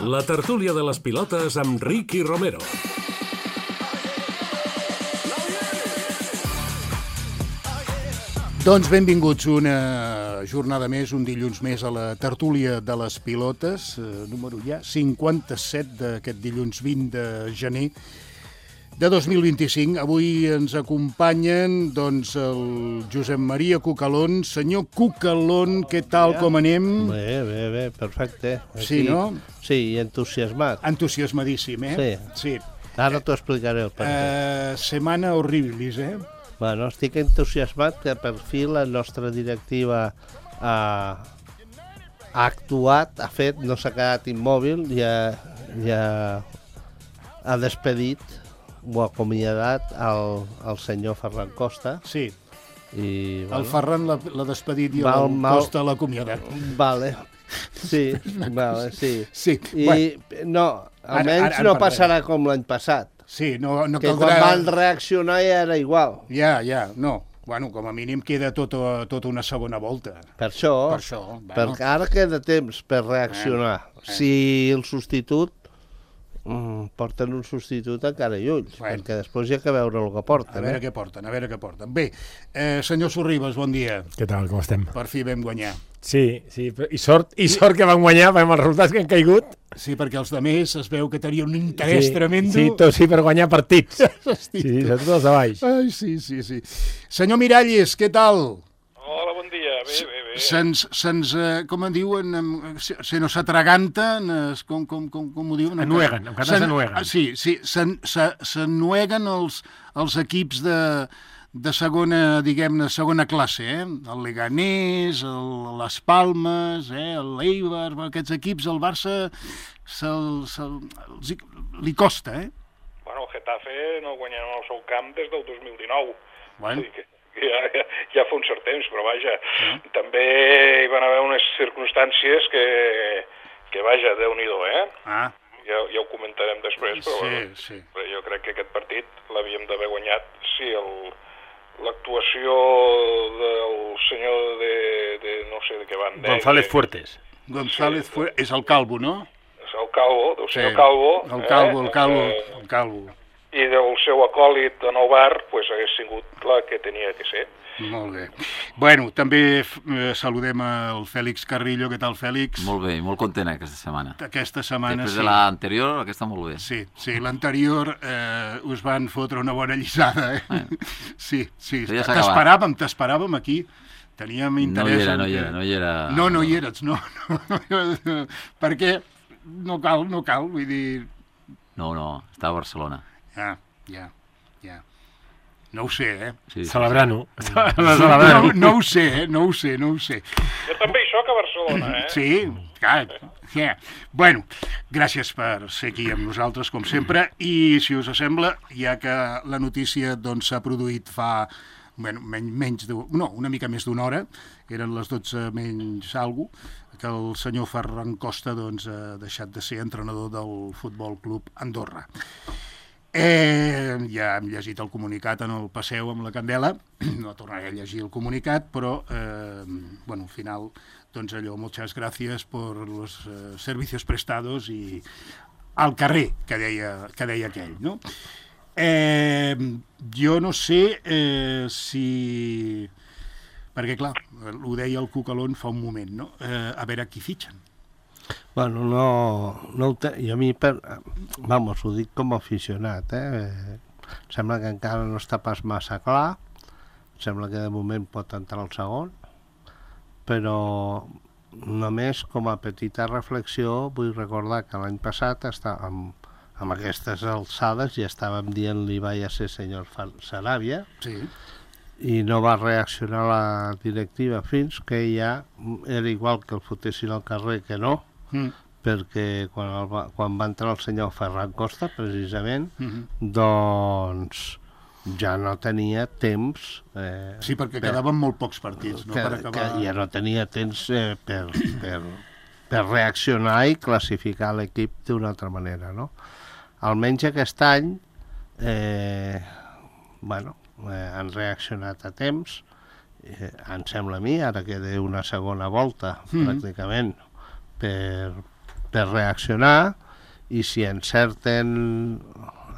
La tertúlia de les pilotes amb Ricky Romero. Doncs benvinguts una jornada més, un dilluns més a la tertúlia de les pilotes, número ja 57 d'aquest dilluns 20 de gener de 2025. Avui ens acompanyen doncs, el Josep Maria Cucalón. Senyor Cucalón, què tal, com anem? Bé, perfecte. Aquí, sí, no? Sí, i entusiasmat. Entusiasmadíssim, Sí. Ara t'ho explicaré el per què. Setmana horribilis, Bueno, estic entusiasmat que per fi la nostra directiva ha actuat, ha fet, no s'ha quedat immòbil, ja ha despedit o acomiadat el senyor Ferran Costa. Sí. I, bueno, el Ferran l'ha despedit i el Costa l'ha acomiadat. Vale. Sí, vale, sí. Sí. I no, almenys no passarà com l'any passat. Sí, no que caldrà... quan van reaccionar ja era igual. Ja, no. Bueno, com a mínim queda tota una segona volta. Per això. Bueno. Perquè ara queda temps per reaccionar. Si el substitut, porten un substitut encara i ulls, perquè després hi ha que veure el que porten. A veure què porten. Bé, senyor Sorribas, bon dia. Què tal, com estem? Per fi vam guanyar. Sí, i sort que vam guanyar, amb els resultats que han caigut. Sí, perquè els altres es veu que tenien un interès tremendo. Sí, tot sí, per guanyar partits. Sí, tots els de baix. Ai, sí. Senyor Miralles, què tal? Hola, bon dia. Bé. Se'ns com en diuen, se nos atraganten, com ho diuen? Ennueguen, en català s'ennueguen. Sí, s'ennueguen els equips de segona, diguem-ne, segona classe, el Leganés, les Palmes, l'Eibar, aquests equips, el Barça li costa, Bueno, el Getafe no guanyarà el seu camp des del 2019. Bueno. Ja fa un cert temps, però vaja, també hi van haver unes circumstàncies que vaja, Déu-n'hi-do, Ja ho comentarem després, però sí. Però jo crec que aquest partit l'havíem d'haver guanyat si l'actuació del senyor de no sé de què van... González Fuertes. González Fuertes, és el Calvo, no? És el Calvo, del senyor Calvo. El Calvo. I del seu acòlit en el bar, doncs hagués sigut la que tenia que ser. Molt bé. Bueno, també saludem el Fèlix Carrillo. Què tal, Fèlix? Molt bé, molt content aquesta setmana. Aquesta setmana, després de l'anterior, aquesta molt bé. Sí, l'anterior us van fotre una bona llisada, Sí, t'esperàvem aquí. Teníem interès... No hi era. No hi eres, no. Perquè no cal, vull dir... No, estava a Barcelona. Ja. No ho sé, Sí. Celebrant-ho. No ho sé. Jo també hi soc a Barcelona, Sí, clar. Bueno, gràcies per ser aquí amb nosaltres, com sempre, i si us sembla, ja que la notícia s'ha produït fa una mica més d'una hora, eren les 12 menys alguna cosa, que el senyor Ferran Costa ha deixat de ser entrenador del Futbol Club Andorra. Ja hem llegit el comunicat en el Passeu amb la Candela, no tornaré a llegir el comunicat, però al final, allò, muchas gracias por los servicios prestados i al carrer, que deia aquell, no? Jo no sé si... Perquè, clar, ho deia el Cucalón fa un moment, no? A veure qui fitxen. Bueno, no jo a mi, ho dic com a aficionat, Sembla que encara no està pas massa clar, sembla que de moment pot entrar al segon, però només com a petita reflexió vull recordar que l'any passat amb aquestes alçades ja estàvem dient-li vaya ser senyor Sarabia, i no va reaccionar la directiva fins que ja era igual que el fotessin al carrer que no, perquè quan va entrar el senyor Ferran Costa, precisament, doncs ja no tenia temps... Sí, perquè quedaven molt pocs partits, no? Ja no tenia temps per reaccionar i classificar l'equip d'una altra manera, no? Almenys aquest any, han reaccionat a temps, em sembla a mi, ara queda una segona volta, pràcticament, per per reaccionar, i si encerten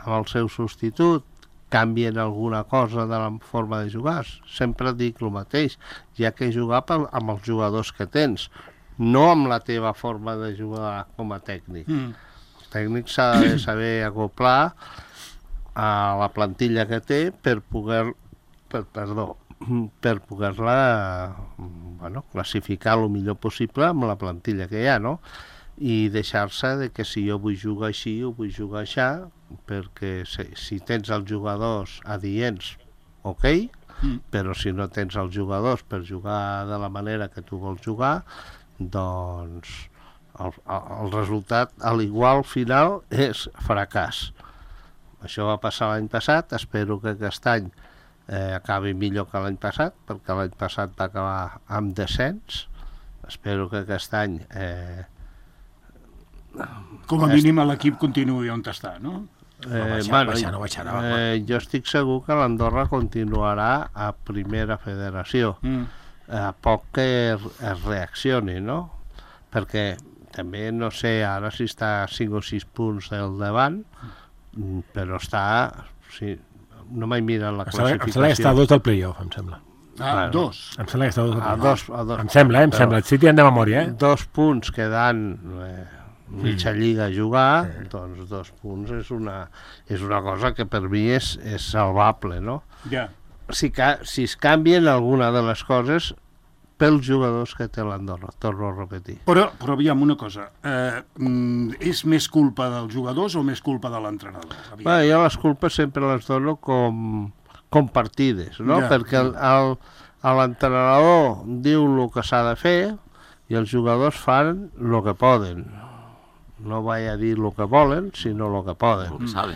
amb el seu substitut, canvien alguna cosa de la forma de jugar. Sempre dic el mateix, hi ha que jugar amb els jugadors que tens, no amb la teva forma de jugar com a tècnic. El tècnic s'ha de saber acoplar a la plantilla que té per poder-la classificar el millor possible amb la plantilla que hi ha, no? I deixar-se de que si jo vull jugar així o vull jugar així, perquè si tens els jugadors adients, ok, però si no tens els jugadors per jugar de la manera que tu vols jugar, doncs el resultat a l'igual final és fracàs. Això va passar l'any passat, espero que aquest any acabi millor que l'any passat, perquè l'any passat va acabar amb descens. Espero que aquest any com a mínim l'equip continuï on està, no? No baixarà. Jo estic segur que l'Andorra continuarà a primera federació, a poc que es reaccioni, no? Perquè també no sé ara si està a 5 o 6 punts del davant, però està... Sí, no m'he mirat la classificació. Em sembla que està a 2 del play-off, em sembla. A 2? Em sembla que està a 2 del play-off. Em sembla. El City en de memòria, 2 punts quedant mitja lliga a jugar, doncs 2 punts és una cosa que per mi és salvable, no? Ja. Si es canvien alguna de les coses pels jugadors que té l'Andorra, torno a repetir. Però aviam una cosa, és més culpa dels jugadors o més culpa de l'entrenador? Jo les culpes sempre les dono com partides, no? Ja. Perquè l'entrenador diu el que s'ha de fer i els jugadors fan el que poden. No vaig a dir el que volen, sinó el que poden. El que saben.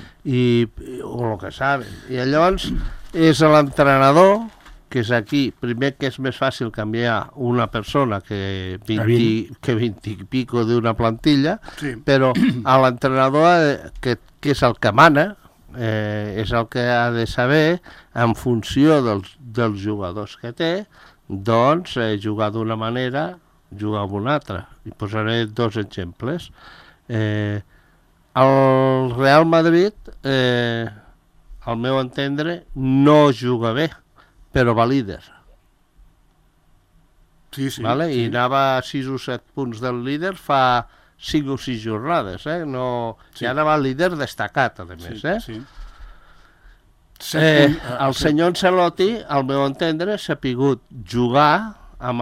O el que saben. I llavors és l'entrenador, que és aquí, primer que és més fàcil canviar una persona que 20 i pico d'una plantilla, sí. Però a l'entrenador, que és el que mana, és el que ha de saber, en funció dels jugadors que té, doncs jugar d'una manera, jugar amb una altra. I posaré 2 exemples. El Real Madrid, al meu entendre, no juga bé, però va líder. Sí. Vale? I anava a 6 o 7 punts del líder fa 5 o 6 jornades, no... Sí. Ja anava líder destacat, a més, Sí. El senyor Ancelotti, al meu entendre, s'ha pogut jugar a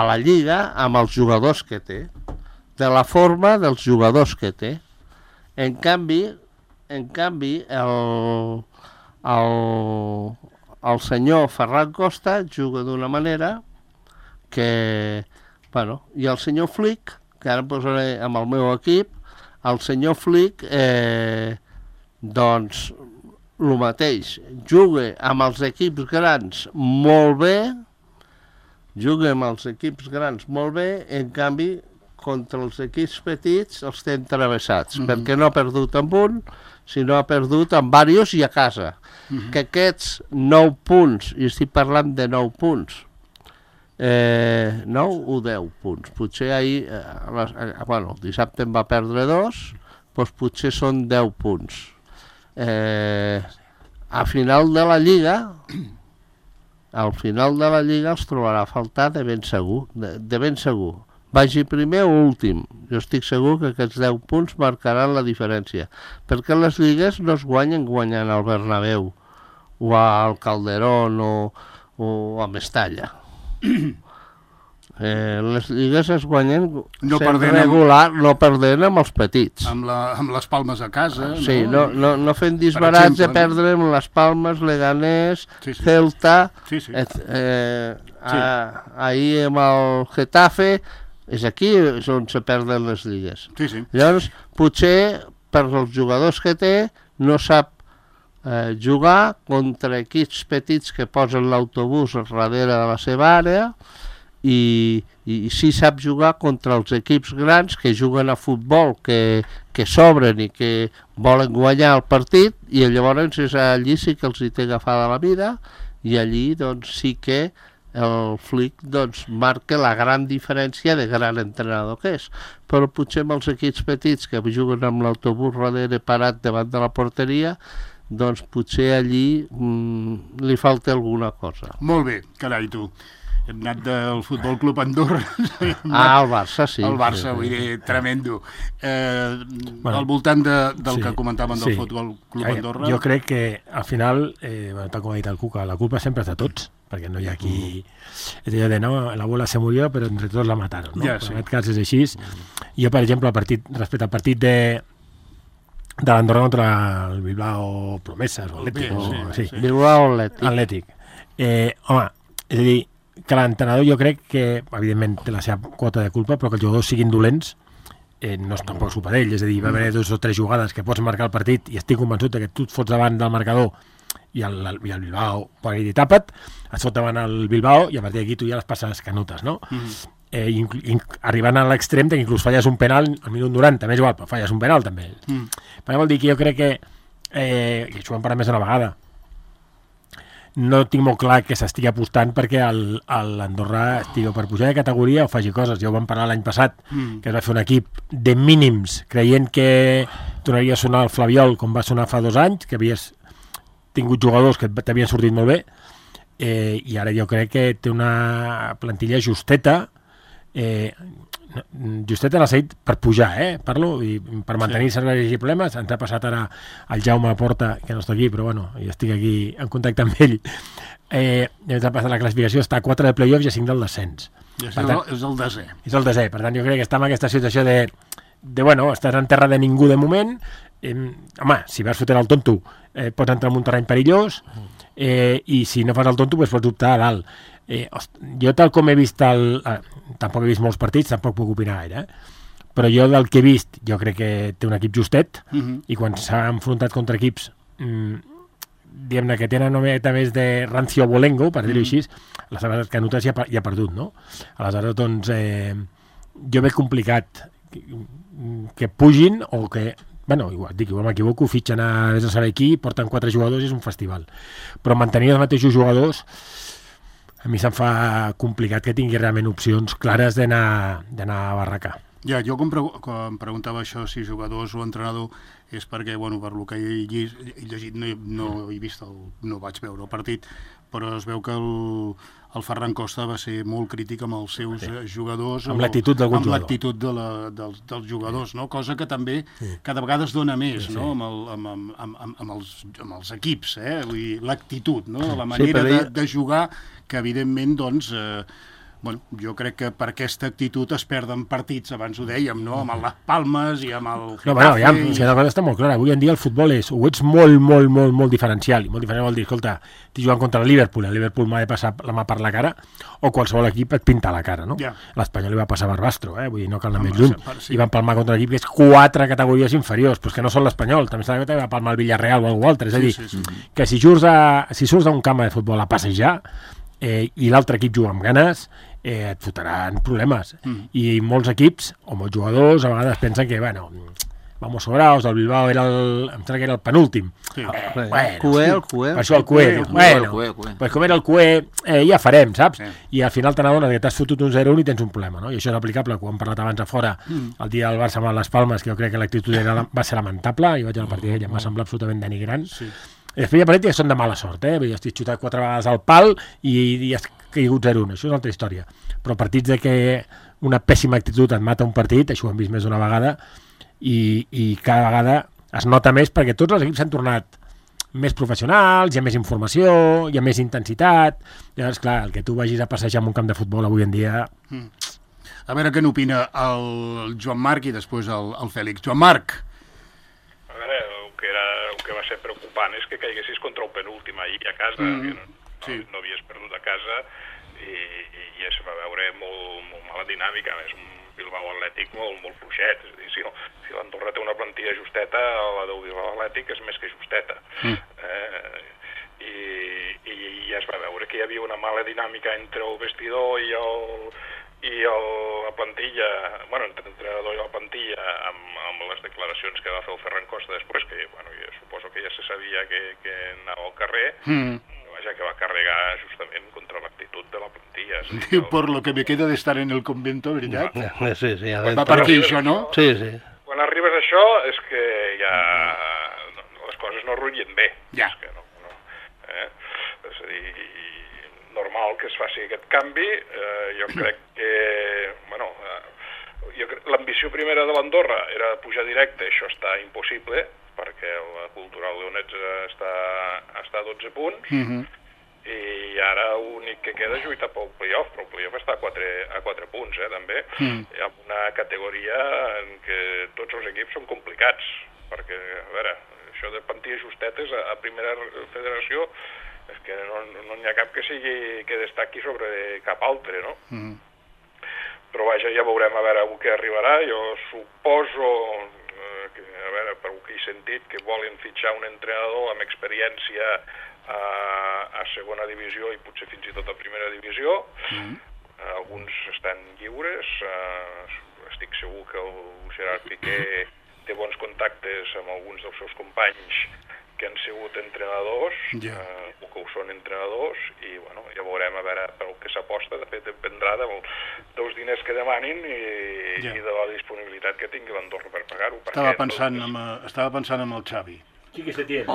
la Lliga amb els jugadors que té, de la forma dels jugadors que té. En canvi, el senyor Ferran Costa juga d'una manera que... I el senyor Flick, que ara em posaré amb el meu equip, el senyor Flick, doncs, el mateix, juga amb els equips grans molt bé, en canvi, contra els equips petits els té travessats, perquè no ha perdut amb un, sinó ha perdut amb diversos i a casa. Que aquests 9 punts, i estic parlant de 9 punts, 9 o 10 punts, potser ahir, dissabte en va perdre 2, doncs potser són 10 punts. A final de la Lliga, els trobarà a faltar de ben segur. Vagi primer o últim. Jo estic segur que aquests 10 punts marcaran la diferència. Perquè les lligues no es guanyen guanyant al Bernabéu o al Calderón o a Mestalla. Les lligues es guanyen regular, no perdent amb els petits. Amb les Palmes a casa. Sí, no fent disbarats de perdre amb les Palmes, Leganés, Celta, ahir amb el Getafe. És aquí on se perden les lligues. Llavors, potser per als jugadors que té no sap jugar contra equips petits que posen l'autobús darrere de la seva àrea i sí sap jugar contra els equips grans que juguen a futbol, que s'obren i que volen guanyar el partit, i llavors allí sí que els hi té agafada la vida, i allí doncs sí que el Flick doncs, marca la gran diferència de gran entrenador que és. Però potser amb els equips petits que juguen amb l'autobús darrere parat davant de la porteria, doncs potser allí li falta alguna cosa. Molt bé, carai, tu. Hem anat del Futbol Club Andorra. Al Barça, sí. El Barça, vull dir, tremendo. Al voltant del que comentaven del Futbol Club Andorra... Jo crec que, al final, tal com ha dit el Cuca, la culpa sempre és de tots, perquè no hi ha qui... És allò de, no, la bola se murió, però entre tots la mataron, no? En aquest cas és així. Jo, per exemple, respecte al partit de l'Andorra contra el Bilbao Promesas o Atlètic. Bilbao Atlètic. Home, és a dir, que l'entrenador jo crec que, evidentment, té la seva quota de culpa, però que els jugadors siguin dolents no és tampoc culpa d'ell. És a dir, va haver 2 o 3 jugades que pots marcar el partit i estic convençut que tu et fots davant del marcador i el Bilbao pot dir tapa't, et fot davant el Bilbao i a partir d'aquí tu ja les passes canutes, no? Arribant a l'extrem que inclús falles un penal al minut 90, més igual, però falles un penal també. Però vol dir que jo crec que i això ho hem parlat més d'una vegada, no tinc molt clar que s'estigui apostant perquè l'Andorra estigui per pujar de categoria o faci coses. Ja ho vam parlar l'any passat, que es va fer un equip de mínims, creient que tornaria a sonar el Flabiol com va sonar fa 2 anys, que havies tingut jugadors que t'havien sortit molt bé, i ara jo crec que té una plantilla justeta, justeta en el sentit per pujar, parlo, i per mantenir serveis i problemes. Ens ha passat ara el Jaume Porta, que no està aquí, però bueno, jo estic aquí en contacte amb ell. Ens ha passat la classificació, està a 4 de playoffs i a 5 del descens. És el desè. És el desè, per tant jo crec que està en aquesta situació de bueno, estàs en terra de ningú de moment, home, si vas fotent el tonto pots entrar en un terreny perillós, i si no fas el tonto pots optar a dalt. Jo tal com he vist tampoc he vist molts partits, tampoc puc opinar gaire, però jo del que he vist jo crec que té un equip justet, i quan s'ha enfrontat contra equips diguem-ne que tenen una mica més de rancio abolengo, per dir-ho així, les seves canutes ja ha perdut, no? Aleshores, doncs, jo veig complicat que pugin o que, bueno, igual m'equivoco, fitxen a des de saber qui, porten 4 jugadors i és un festival, però mantenir els mateixos jugadors a mi se'm fa complicat que tingui realment opcions clares d'anar a barracar. Ja, jo quan preguntava això, si jugadors o entrenador, és perquè, bueno, per lo que he llegit, no he vist, no vaig veure el partit, però es veu que el Ferran Costa va ser molt crític amb els seus jugadors, amb l'actitud d'algun jugador, amb l'actitud dels jugadors, no? Cosa que també cada vegada es dona més, no? Amb els equips, vull dir, l'actitud, no? La manera de jugar, que evidentment, doncs, bueno, jo crec que per aquesta actitud es perden partits, abans ho dèiem, no? Amb les Palmes i amb el Getafe. No, bueno, ja, si la cosa està molt clara. Avui en dia el futbol o ets molt diferencial, i molt diferent vol dir, escolta, estic jugant contra el Liverpool m'ha de passar la mà per la cara, o qualsevol equip et pinta la cara, no? L'Espanyol li va passar a Barbastro, vull dir, no cal anar més lluny. I van palmar contra l'equip que és 4 categories inferiors, però és que no són l'Espanyol, també s'ha de palmar el Villarreal o algú altre, és a dir, que si surts d'un camp de futbol a passejar i l'altre equip juga amb ganes, et fotran problemes. I molts equips, o molts jugadors, a vegades pensen que, bueno, vamos sobraos, el Bilbao em sembla que era el penúltim. El Cué. Això, el Cué. Bueno, pues com era el Cué, ja farem, saps? I al final te n'adones que t'has fotut un 0-1 i tens un problema, no? I això és aplicable, quan hem parlat abans a fora, el dia del Barça amb les Palmes, que jo crec que l'actitud va ser lamentable, i vaig al partit d'ella, em va semblar absolutament denigrant. I després hi ha partits que són de mala sort, vull dir, estic xutat 4 vegades al pal i has caigut 0-1, això és una altra història. Però partits de que una pèssima actitud et mata un partit, això ho hem vist més d'una vegada, i cada vegada es nota més perquè tots els equips s'han tornat més professionals, hi ha més informació, hi ha més intensitat. Llavors, clar, el que tu vagis a passejar en un camp de futbol avui en dia... A veure què n'opina el Joan Marc i després el Fèlix. Joan Marc! A veure, el que va ser preocupant és que caiguessis contra el penúltim ahir a casa, no havies perdut a casa, i ja es va veure molt mala dinàmica, a més un Bilbao Atlètic molt fluixet, és a dir, si l'Andorra té una plantilla justeta, la del Bilbao Atlètic és més que justeta. I ja es va veure que hi havia una mala dinàmica entre el vestidor i la plantilla, bueno, entre l'entrenador i la plantilla, amb les declaracions que va fer el Ferran Costa després, que bueno, jo suposo que ja se sabia que anava al carrer, vaja, que va carregar justament contra l'actitud de la plantilla. Diu, por lo que me queda de estar en el convento, veritat? Sí, sí. Va per aquí això, no? Sí, sí. Quan arribes a això és que ja les coses no rutllen bé. Ja. És que no. És a dir, normal que es faci aquest canvi. Jo crec que, bueno, l'ambició primera de l'Andorra era pujar directe, això està impossible, perquè la Cultural Leonets està a 12 punts, i ara l'únic que queda és lluitar pel playoff, però el playoff està a 4 punts, també, amb una categoria en què tots els equips són complicats, perquè, a veure, això de plantilles justetes a primera federació és que no n'hi ha cap que destaqui sobre cap altre, no? Però vaja, ja veurem a veure què arribarà. Jo suposo que, a veure, per que he sentit, que volen fitxar un entrenador amb experiència a segona divisió i potser fins i tot a primera divisió. Alguns estan lliures. Estic segur que el Gerard Piqué té bons contactes amb alguns dels seus companys que han sigut entrenadors, o que ho són entrenadors, i bueno, ja veurem a veure pel que s'aposta. De fet, dependrà dels diners que demanin i de la disponibilitat que tingui l'Andorra per pagar-ho. Estava pensant en el Xavi. Quique Setién.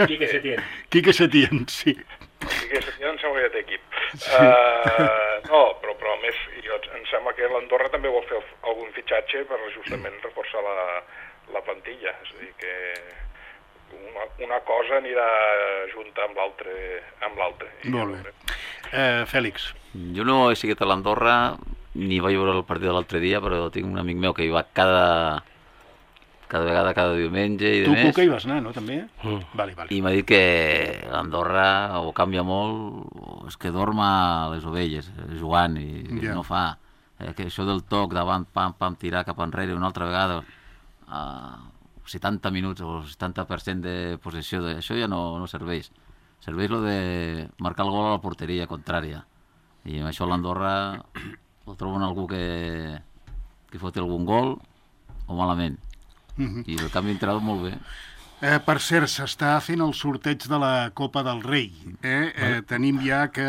Quique Setién. Quique Setién, sí. Quique Setién em sembla que ja té equip. No, però a més, em sembla que l'Andorra també vol fer algun fitxatge per justament reforçar la plantilla. És a dir, que una cosa anirà junta amb l'altra. Molt bé. Fèlix. Jo no he seguit a l'Andorra, ni vaig veure el partit de l'altre dia, però tinc un amic meu que hi va cada vegada, cada diumenge i Tu, demés. Cuca, hi vas anar, no, també? Vale. I m'ha dit que l'Andorra ho canvia molt, és que dorma les ovelles jugant i no fa. Que això del toc davant, pam, tirar cap enrere una altra vegada, 70 minuts o 70% de possessió, això ja no serveix. Serveix lo de marcar el gol a la porteria contrària. I amb això l'Andorra el troben algú que foti algun gol o malament. I el canvi d'entrenador molt bé. Per cert, s'està fent el sorteig de la Copa del Rei. Tenim ja que...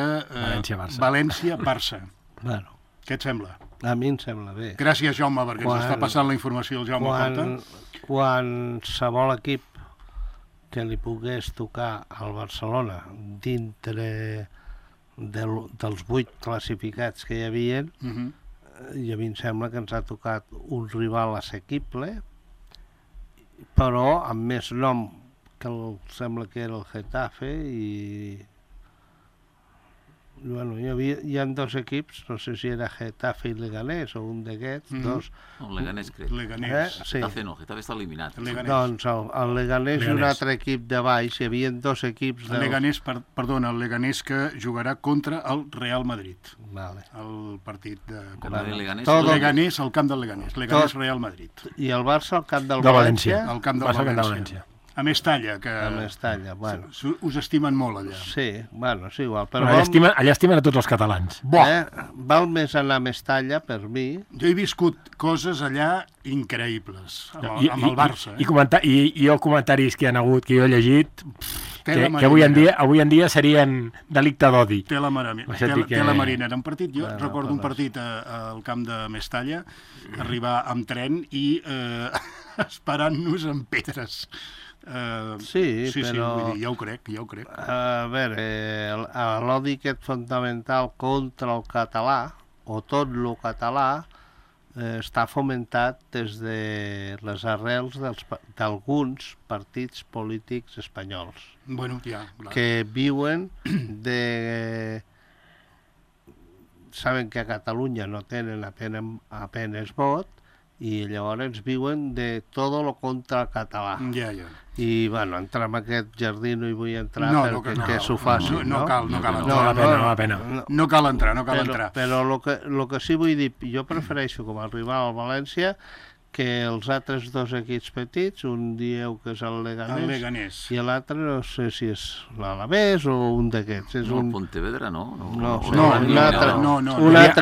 València-Barça. Bueno, Què et sembla? a mi em sembla bé. Gràcies, Jaume, perquè ens està passant la informació el Jaume Porta. Qualsevol equip que li pogués tocar al Barcelona dintre dels 8 classificats que hi havia, i a mi em sembla que ens ha tocat un rival assequible, però amb més nom que sembla que era el Getafe, i bueno, hi ha 2 equips, no sé si era Getafe i Leganés o un d'aquests, dos. El Leganés, crec. Sí. Getafe no, Getafe està eliminat. Doncs el Leganés i un altre equip de baix, hi havia 2 equips El Leganés, el Leganés que jugarà contra el Real Madrid. Vale. El partit de... Leganés, el camp del Leganés. Leganés-Real Madrid. I el Barça al camp del València. El camp del València. A Mestalla, que... A Mestalla, bueno. Us estimen molt allà. Sí, bueno, és igual. Però allà estimen a tots els catalans. Val més anar a Mestalla, per mi. Jo he viscut coses allà increïbles, amb el Barça. I els comentaris que hi ha hagut, que jo he llegit, que avui en dia serien delicte d'odi. Té la marinera. Jo recordo un partit al camp de Mestalla, arribar amb tren i esperant-nos amb pedres. Sí, però... vull dir, ja ho crec. A veure, l'odi aquest fonamental contra el català, o tot el català, està fomentat des de les arrels d'alguns partits polítics espanyols. Bueno, ja, clar. Que viuen de... Saben que a Catalunya no tenen apenes vot, i llavors viuen de tot el contra el català. Ja. I, bueno, entrar en aquest jardí no hi vull entrar perquè s'ho faci. No cal entrar. No cal entrar. Però el que sí vull dir, jo prefereixo com a rival al València que els altres dos equips petits, un dieu que és el Leganés, i l'altre no sé si és l'Alavés o un d'aquests. És No, un... Pontevedra, no? Un altre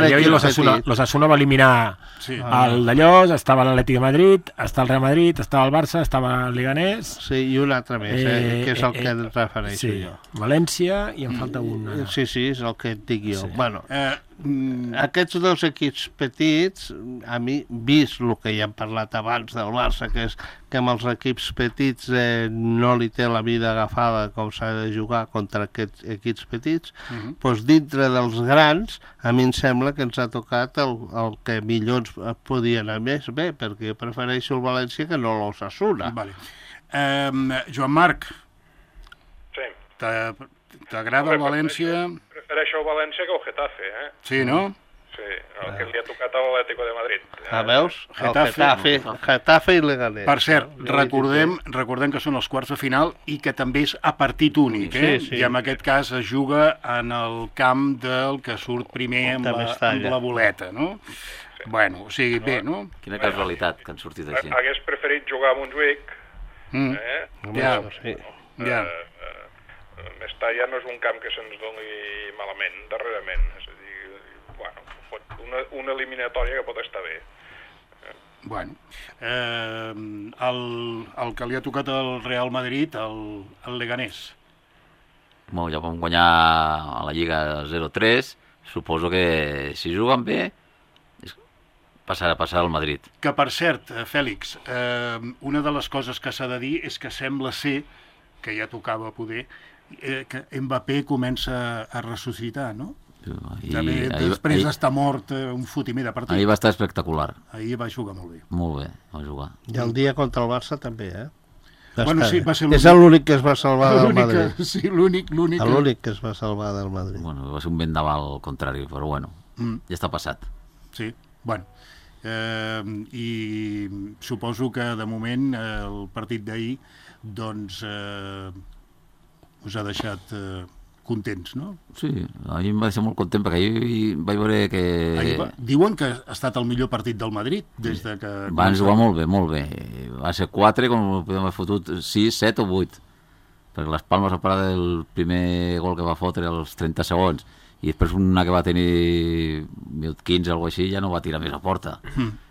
equip petit. L'Osasuna va eliminar el d'Allós, estava l'Atlètic de Madrid, està el Real Madrid, estava el Barça, estava el Leganés... Sí, i un altre més, que és el que et refereixo jo. València, i em falta un... Sí, és el que et dic jo. Bueno, aquests dos equips petits, a mi, vist el que ja hem parlat abans del Barça, que és que amb els equips petits no li té la vida agafada com s'ha de jugar contra aquests equips petits, doncs dintre dels grans, a mi em sembla que ens ha tocat el que millor ens podia anar més bé, perquè jo prefereixo el València que no l'Osasuna. Vale. Joan Marc, Sí. t'agrada el València? Prefereixo el València que el Getafe, Sí, no? Sí, el que li ha tocat a l'Atlético de Madrid. Veus? Getafe i Leganés. Per cert, recordem que són els quarts de final i que també és a partit únic, i en aquest cas es juga en el camp del que surt primer amb la boleta, no? Bueno, o sigui, bé, no? Quina casualitat que han sortit així. Hagués preferit jugar a Montjuïc, Ja. Mestalla no és un camp que se'ns doni malament, darrerament. És a dir, bueno, una eliminatòria que pot estar bé. Bueno, el que li ha tocat al Real Madrid, el Leganés. Bueno, ja vam guanyar a la Lliga 0-3, suposo que si juguen bé passarà al Madrid. Que, per cert, Fèlix, una de les coses que s'ha de dir és que sembla ser, que ja tocava poder, que Mbappé comença a ressuscitar, no? Després d'estar mort un fotimer de partit. Ahir va estar espectacular. Ahir va jugar molt bé. Molt bé, va jugar. I el dia contra el Barça també, Bueno, sí, va ser és l'únic que es va salvar del Madrid. Sí, l'únic. L'únic que es va salvar del Madrid. Bueno, va ser un vendaval contrari, però bueno, ja està passat. Sí, bueno. I suposo que de moment el partit d'ahir doncs us ha deixat contents, no? Sí, a mi em va deixar molt content perquè ahir vaig veure que... Diuen que ha estat el millor partit del Madrid des de que... Van jugar molt bé. Va ser 4, com podem haver fotut 6, 7 o 8. Perquè les Palmes a parar del primer gol que va fotre als 30 segons i després una que va tenir 15 o alguna així ja no va tirar més a porta.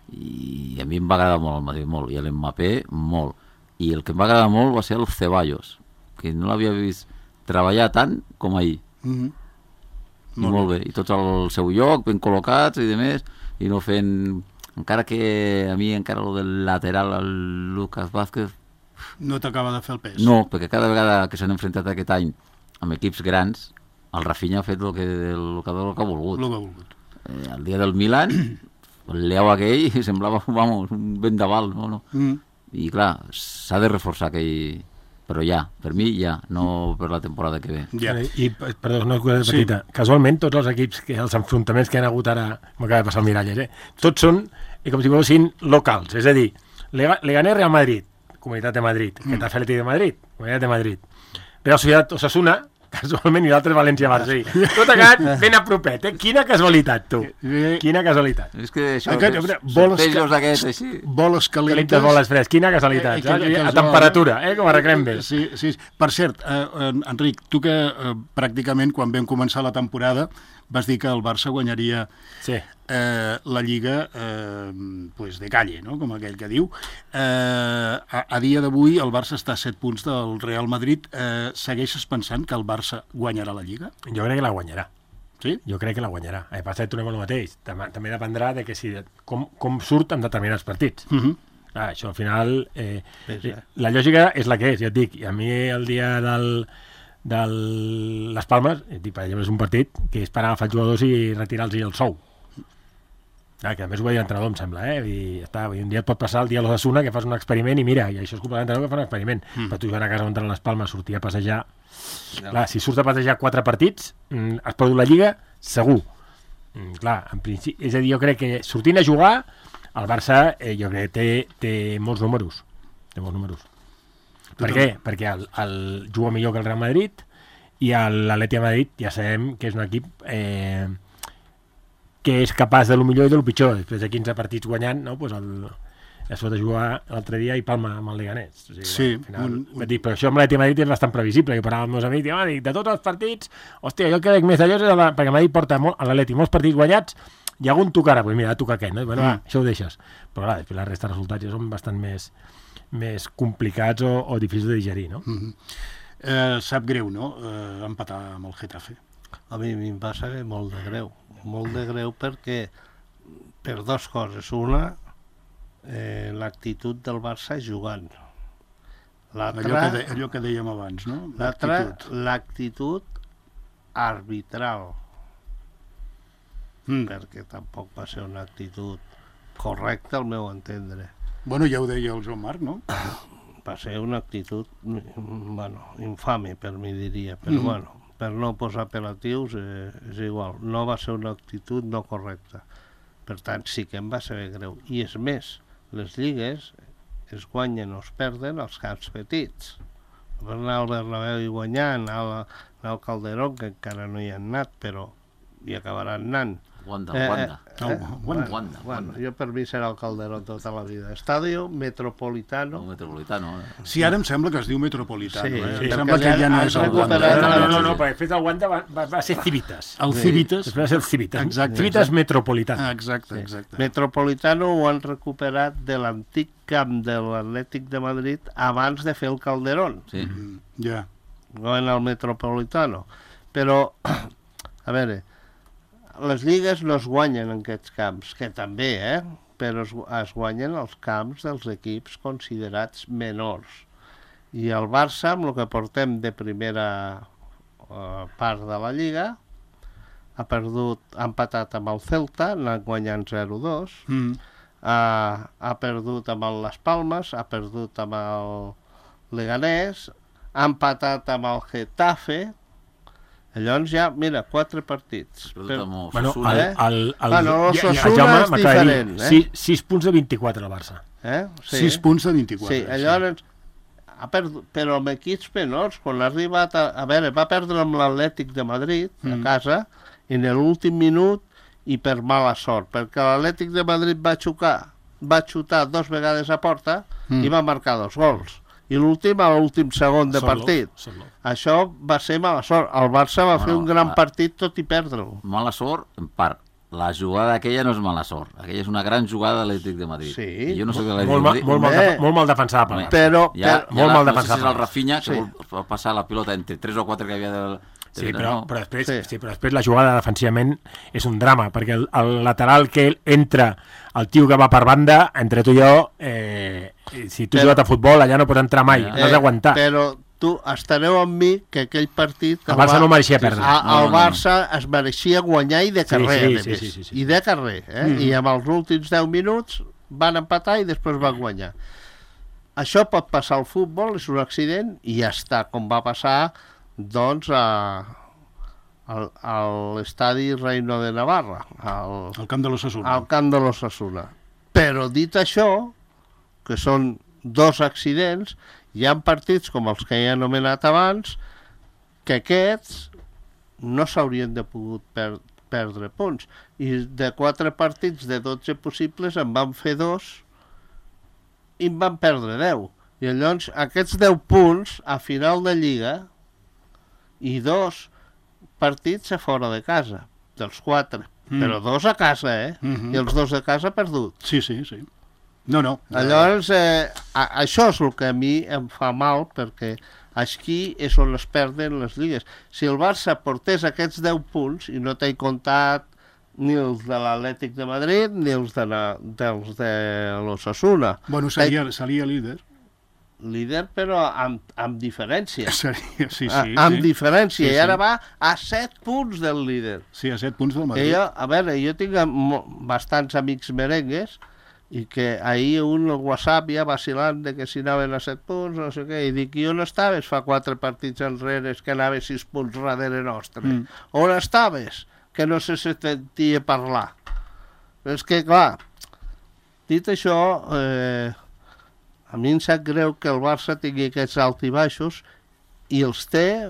I a mi em va agradar molt el Madrid, molt. I l'Mbappé, molt. I el que em va agradar molt va ser el Ceballos, que no l'havia vist treballar tant com ahir. I molt bé. I tots al seu lloc, ben col·locats i demés, i no fent... Encara que a mi encara el del lateral, el Lucas Vázquez... No t'acaba de fer el pes. No, perquè cada vegada que s'han enfrontat aquest any amb equips grans, el Rafinha ha fet el que ha volgut. El dia del Milan, el Leo aquell semblava un vendaval, no? I clar, s'ha de reforçar aquell... Però ja, per mi ja, no per la temporada que ve. Ja. I, perdó, una cosa petita. Casualment, tots els equips, els enfrontaments que han hagut ara, m'acaba de passar el Miralles, tots són com si fossin locals. És a dir, Leganés, Real Madrid, Comunitat de Madrid, Getafe, Atlètic de Madrid, Comunitat de Madrid, Real Societat, Osasuna, casualment, i l'altre és València-Barça. Tot acabat ben a propet, Quina casualitat, tu. Quina casualitat. És que això, boles així. Boles calentes. Boles freds, quina casualitat. A temperatura, com arreglem bé. Sí. Per cert, Enric, tu que pràcticament quan vam començar la temporada vas dir que el Barça guanyaria la Lliga de calle, no? Com aquell que diu. A dia d'avui el Barça està a 7 punts del Real Madrid. Segueixes pensant que el Barça guanyarà la Lliga? Jo crec que la guanyarà. Sí? Jo crec que la guanyarà. Passa que tornem al mateix. També dependrà de que com surt en determinats partits. Això al final... la lògica és la que és, ja et dic. I a mi el dia de les Palmes, per exemple, és un partit que és per agafar els jugadors i retirar-los el sou. Que a més ho va dir l'entrenador, em sembla, I un dia et pot passar el dia a l'Osasuna que fas un experiment i mira, i això és culpa de l'entrenador que fa un experiment. Però tu jugant a casa contra les Palmes, sortir a passejar... Clar, si surts a passejar 4 partits, has perdut la Lliga, segur. Clar, en principi... És a dir, jo crec que sortint a jugar, el Barça, jo crec que té molts números. Té molts números. Per què? Perquè el juga millor que el Real Madrid i l'Atlètic de Madrid ja sabem que és un equip que és capaç de lo millor i de lo pitjor. Després de 15 partits guanyant, no? Pues es pot jugar l'altre dia i Palma amb el Leganés. O sigui, Sí, bueno, al final, però això amb l'Atlètic de Madrid és bastant previsible, que parava amb meus amics, dic, de tots els partits, hòstia, jo crec més allò, perquè Madrid porta a l'Atlètic molts partits guanyats, hi ha algun tocar, doncs mira, tocar aquest, no? I, bueno, això ho deixes. Però clar, després la resta de resultats ja són bastant més complicats o difícils de digerir, no? Sap greu, no?, empatar amb el Getafe. A mi em va saber molt de greu perquè per dues coses. Una, l'actitud del Barça jugant. Allò que dèiem abans, no? L'altra, l'actitud arbitral. Perquè tampoc va ser una actitud correcta al meu entendre. Bueno, ja ho deia el Joan Marc, no? Va ser una actitud, infame, per mi diria, però bueno, per no posar apel·latius és igual, no va ser una actitud no correcta. Per tant, sí que em va saber greu. I és més, les lligues es guanyen o es perden als camps petits. Per anar al Bernabéu i guanyar, anar al Calderón, que encara no hi han anat, però hi acabaran anant. Wanda. Bueno, jo per mi serà el Calderón tota la vida. Estadio Metropolitano. Sí, ara em sembla que es diu Metropolitano. Sí, Em sembla que ja no és el Wanda. No, perquè fet el Wanda va ser Civitas. El Civitas. Després va ser el Civitas. Exacte. Civitas Metropolitano. Exacte. Metropolitano ho han recuperat de l'antic camp de l'Atlètic de Madrid abans de fer el Calderón. Sí. Ja. No en el Metropolitano. Però, a veure, les lligues no es guanyen en aquests camps, que també, però es guanyen els camps dels equips considerats menors. I el Barça, amb el que portem de primera part de la Lliga, ha empatat amb el Celta, ha anat guanyant 0-2, ha perdut amb el Las Palmas, ha perdut amb el Leganés, ha empatat amb el Getafe. Llavors ja, mira, 4 partits. Bueno, l'Osasuna és diferent. 6 punts de 24 al Barça. 6 punts de 24. Sí, llavors ha perdut, però amb equips menors, quan ha arribat a veure, va perdre amb l'Atlètic de Madrid a casa en l'últim minut i per mala sort, perquè l'Atlètic de Madrid va xutar 2 vegades a porta i va marcar 2 gols. I l'últim a l'últim segon de partit. Això va ser mala sort. El Barça va fer un gran partit tot i perdre-ho. Mala sort, en part. La jugada aquella no és mala sort. Aquella és una gran jugada de l'Atlètic de Madrid. Sí. I jo no sé de l'Atlètic de Madrid. Molt mal defensada per però molt mal defensada. No sé si és el Rafinha que vol passar la pilota entre 3 o 4 que havia de... Sí, però després la jugada defensivament és un drama, perquè el lateral que entra, el tio que va per banda, entre tu i jo, si tu has jugat a futbol, allà no pots entrar mai, l'has d'aguantar. Però tu estareu amb mi que aquell partit... El Barça no mereixia perdre. El Barça es mereixia guanyar i de carrer, sí. I de carrer, I amb els últims 10 minuts van empatar i després van guanyar. Això pot passar al futbol, és un accident, i ja està, com va passar... doncs a l'estadi Reino de Navarra al camp de l'Osasuna. Al camp de l'Osasuna. Però dit això, que són 2 accidents, hi ha partits com els que he anomenat abans que aquests no s'haurien de pogut perdre punts, i de 4 partits de 12 possibles en van fer 2 i en van perdre 10, i llavors aquests 10 punts a final de Lliga i 2 partits a fora de casa, dels 4, però 2 a casa, i els 2 de casa perdut. Sí. No. Llavors, això és el que a mi em fa mal, perquè aquí és on es perden les lligues. Si el Barça portés aquests 10 punts, i no t'he comptat ni els de l'Atlètic de Madrid, ni els de l'Osasuna. Bueno, seria líder. Líder, però amb diferència. Sí. Amb diferència, i ara va a 7 punts del líder. Sí, a 7 punts del Madrid. Jo tinc bastants amics merengues, i que ahir un al WhatsApp ja vacilant de que si anaven a 7 punts, no sé què, i dic, i on estaves fa 4 partits enrere que anaves 6 punts darrere nostre? On estaves? Que no se sentia parlar. Però és que, clar, dit això... a mi em sap greu que el Barça tingui aquests alts i baixos, i els té,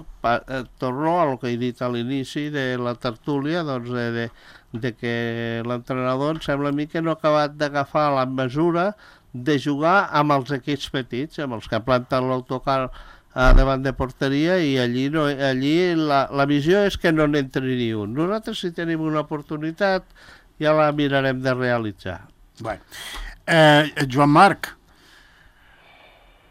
torno a el que he dit a l'inici de la tertúlia, doncs de que l'entrenador em sembla a mi que no ha acabat d'agafar la mesura de jugar amb els equips petits, amb els que planten l'autocar davant de porteria, i allí la visió és que no n'entri ni un. Nosaltres, si tenim una oportunitat, ja la mirarem de realitzar. Bueno. Joan Marc.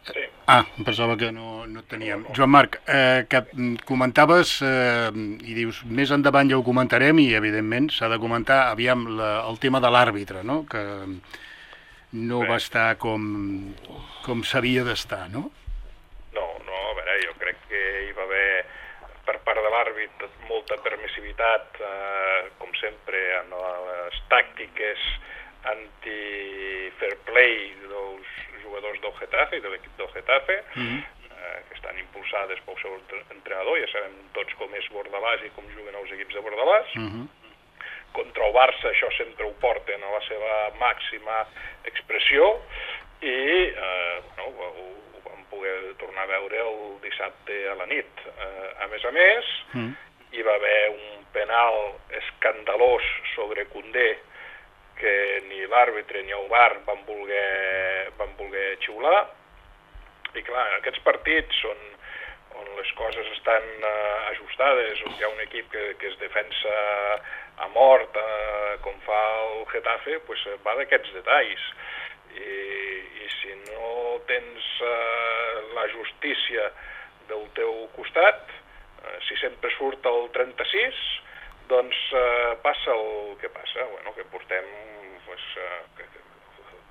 Sí. Em pensava que no teníem. Joan Marc, que comentaves, i dius, més endavant ja ho comentarem, i evidentment s'ha de comentar, aviam, el tema de l'àrbitre, no? Que no va estar com s'havia d'estar, no? No, a veure, jo crec que hi va haver, per part de l'àrbit, molta permissivitat, com sempre, en les tàctiques anti-fair play dels jugadors del Getafe i de l'equip del Getafe, que estan impulsades pel seu entrenador. Ja sabem tots com és Bordalàs i com juguen els equips de Bordalàs. Contra el Barça això sempre ho porten a la seva màxima expressió i ho vam poder tornar a veure el dissabte a la nit. A més, hi va haver un penal escandalós sobre Koundé que ni l'àrbitre ni el VAR van voler xiular. I clar, aquests partits on les coses estan ajustades, on hi ha un equip que es defensa a mort, com fa el Getafe, doncs va d'aquests detalls. I si no tens la justícia del teu costat, si sempre surt el 36, doncs passa el que passa, que portem,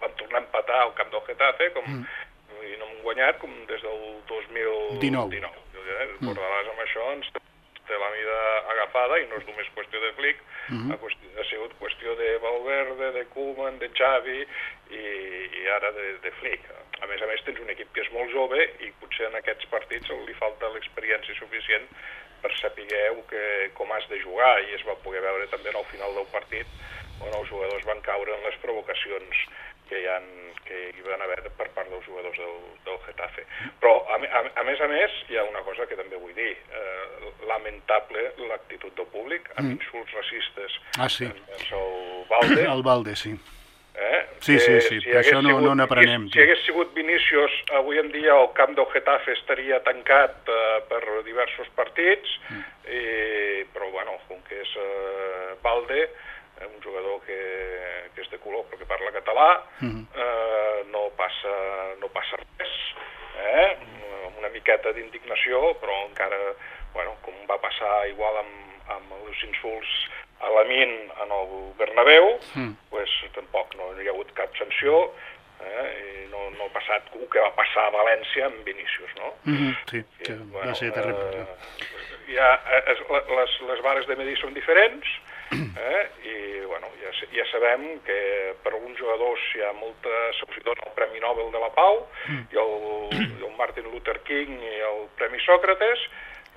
vam tornar a empatar al camp del Getafe, i no hem guanyat com des del 2019. Bordalàs amb això ens té la mida agafada, i no és només qüestió de Flick, ha sigut qüestió de Valverde, de Koeman, de Xavi i ara de Flick. A més, tens un equip que és molt jove i potser en aquests partits li falta l'experiència suficient per saber com has de jugar, i es va poder veure també al final del partit on els jugadors van caure en les provocacions que hi van haver per part dels jugadors del Getafe. Però, a més, hi ha una cosa que també vull dir. Lamentable l'actitud del públic, amb insults racistes envers el Balde. El Balde, sí. Sí, si això no n'aprenem. Si hagués sigut Vinícius, avui en dia el camp del Getafe estaria tancat per diversos partits, però com que és Balde, un jugador que és de color però que parla català, no passa res, una miqueta d'indignació, però encara, com va passar igual amb els insults a Lamine en el Bernabéu, tampoc no hi ha hagut cap sanció, i no ha passat el que va passar a València amb Vinícius, no? Sí, que va ser terrible. Les vares de medir són diferents, i ja sabem que per alguns jugadors se'ls dona el Premi Nobel de la Pau, i el Martin Luther King i el Premi Sòcrates,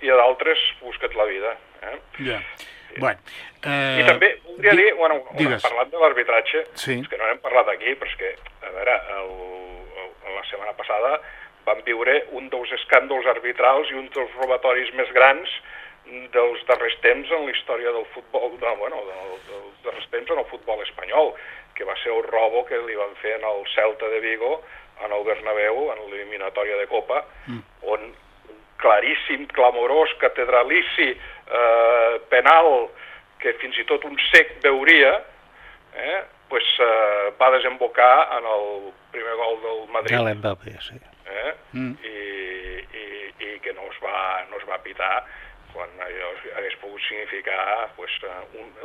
i a d'altres busca't la vida. I també voldria dir, parlant de l'arbitratge, és que no n'hem parlat aquí, però és que, a veure, la setmana passada vam viure un dels escàndols arbitrals i un dels robatoris més grans dels darrers temps en la història del futbol, dels darrers temps en el futbol espanyol, que va ser el robo que li van fer en el Celta de Vigo, en el Bernabéu, en l'eliminatòria de Copa, on claríssim, clamorós, catedralici, penal, que fins i tot un cec veuria, va desembocar en el primer gol del Madrid. De l'Mbappé, sí. I que no es va pitar quan allò hagués pogut significar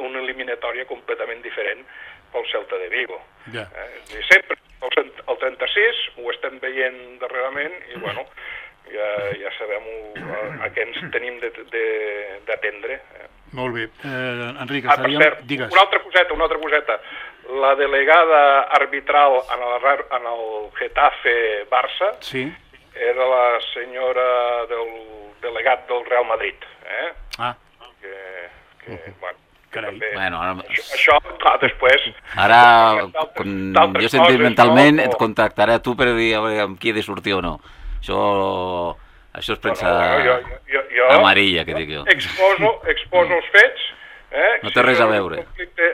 una eliminatòria completament diferent pel Celta de Vigo. Sempre el 36 ho estem veient darrerament i ja sabem a què ens tenim d'atendre. Molt bé. Enric, digues. Una altra coseta. La delegada arbitral en el Getafe-Barça era la senyora del delegat del Real Madrid. Això, clar, després... Ara, jo sentimentalment et contactaré a tu per dir amb qui he de sortir o no. Això és premsa amarilla, que dic jo. Exposo els fets. No té res a veure.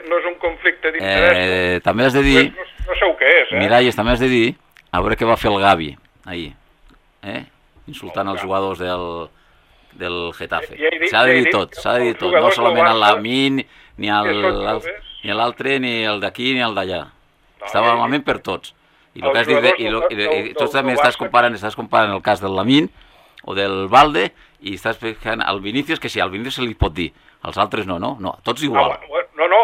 No és un conflicte d'interès. També has de dir... No sé què és. Miralles, també has de dir, a veure què va fer el Gavi, ahir, insultant els jugadors del Getafe. S'ha de dir tot, no solament a l'Amin, ni l'altre, ni el d'aquí, ni el d'allà. Estava malament per tots. I el que has dit, i tots també estàs comparant el cas del Lamin o del Balde i estàs fent el Vinícius, que sí, al Vinícius se li pot dir, als altres no, tots igual. No,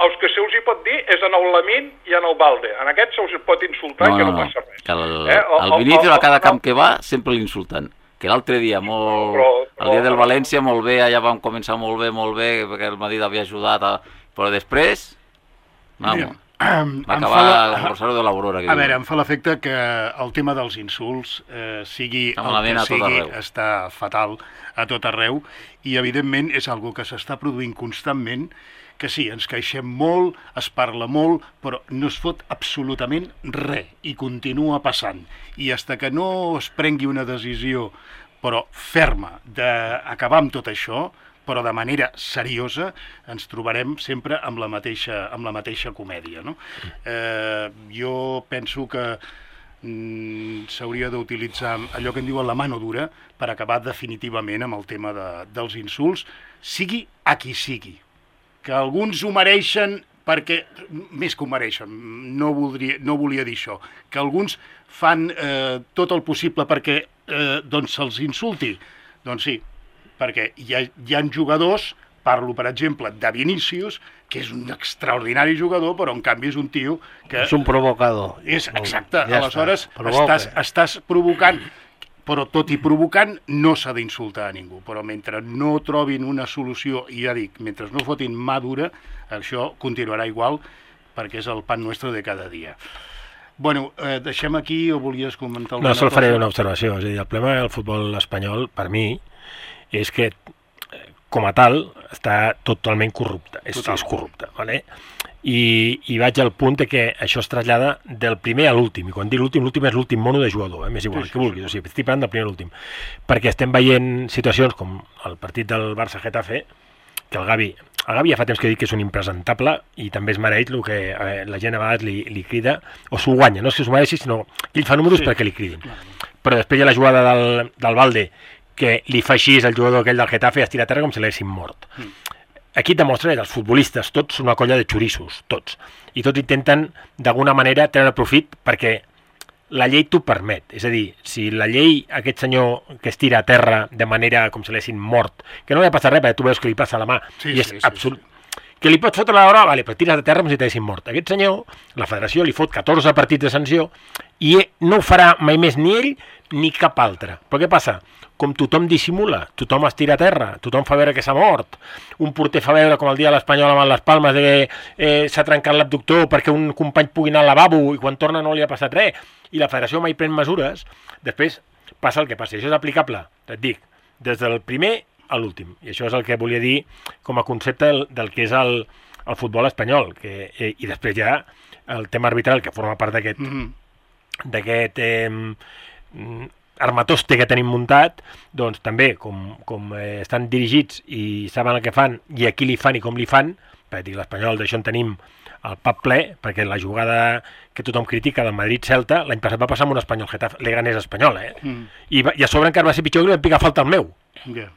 els que se us hi pot dir és en el Lamin i en el Balde, en aquests se us pot insultar i que no passa res. El Vinícius a cada camp que va sempre l'insulten, que l'altre dia, el dia del València molt bé, allà vam començar molt bé, perquè el Madrid havia ajudat, però després, vamos... Va acabar el Rosario de l'Aurora. A veure, em fa l'efecte que el tema dels insults, sigui el que sigui, està fatal a tot arreu i, evidentment, és algo que s'està produint constantment, que sí, ens queixem molt, es parla molt, però no es fot absolutament res i continua passant. I fins que no es prengui una decisió, però ferma, d'acabar amb tot això, però de manera seriosa, ens trobarem sempre amb la mateixa comèdia. No? Jo penso que s'hauria d'utilitzar allò que en diuen la mano dura per acabar definitivament amb el tema dels insults, sigui a qui sigui. Que alguns ho mereixen perquè, més que ho mereixen, no volia dir això, que alguns fan tot el possible perquè se'ls insulti, doncs sí, perquè hi ha jugadors, parlo per exemple de Vinícius, que és un extraordinari jugador, però en canvi és un tio que... És un provocador. Exacte, aleshores estàs provocant, però tot i provocant no s'ha d'insultar a ningú, però mentre no trobin una solució, i ja dic, mentre no fotin mà dura, això continuarà igual, perquè és el pan nostre de cada dia. Bueno, deixem aquí, o volies comentar alguna cosa? No, sol faré una observació, és a dir, el problema del futbol espanyol, per mi, és que com a tal està totalment corrupte, és corrupte, ¿vale? I vaig al punt que això es trasllada del primer a l'últim, i quan dic l'últim és l'últim mono de jugador, m'és igual, que vulguis, o sigui, estic parlant del primer a l'últim, perquè estem veient situacions com el partit del Barça-Getafe, que el Gavi ja fa temps que dic que és un impresentable i també es mereix el que la gent a vegades li crida, o s'ho guanya, no és que s'ho mereixi, sinó que ell fa números perquè li cridin. Però després hi ha la jugada del Balde, que li fa així el jugador aquell del Getafe i es tira a terra com si l'haguessin mort. Aquí et demostra que els futbolistes, tots són una colla de xorissos, tots. I tots intenten, d'alguna manera, treure profit perquè la llei t'ho permet. És a dir, si la llei, aquest senyor que es tira a terra de manera com si l'haguessin mort, que no li passa res, perquè tu veus que li passa a la mà, i és absolut... Que li pots fotre l'hora, vale, però tires a terra com si t'haguessin mort. Aquest senyor, la federació li fot 14 partits de sanció i no ho farà mai més ni ell ni cap altre. Però què passa? Com tothom dissimula, tothom es tira a terra, tothom fa veure que s'ha mort, un porter fa veure com el dia de l'Espanyol amb les Palmes que s'ha trencat l'abductor perquè un company pugui anar al lavabo i quan torna no li ha passat res, i la federació mai pren mesures, després passa el que passa. Això és aplicable, et dic, des del primer a l'últim, i això és el que volia dir com a concepte del que és el futbol espanyol, i després ja el tema arbitral que forma part d'aquest armatoste que tenim muntat, doncs també com estan dirigits i saben el que fan i a qui li fan i com li fan, perquè dic l'Espanyol d'això en tenim el pap ple, perquè la jugada que tothom critica del Madrid-Celta l'any passat va passar amb un Espanyol-Getafe, Leganés Espanyol, i a sobre encara va ser pitjor que li van picar falta al meu.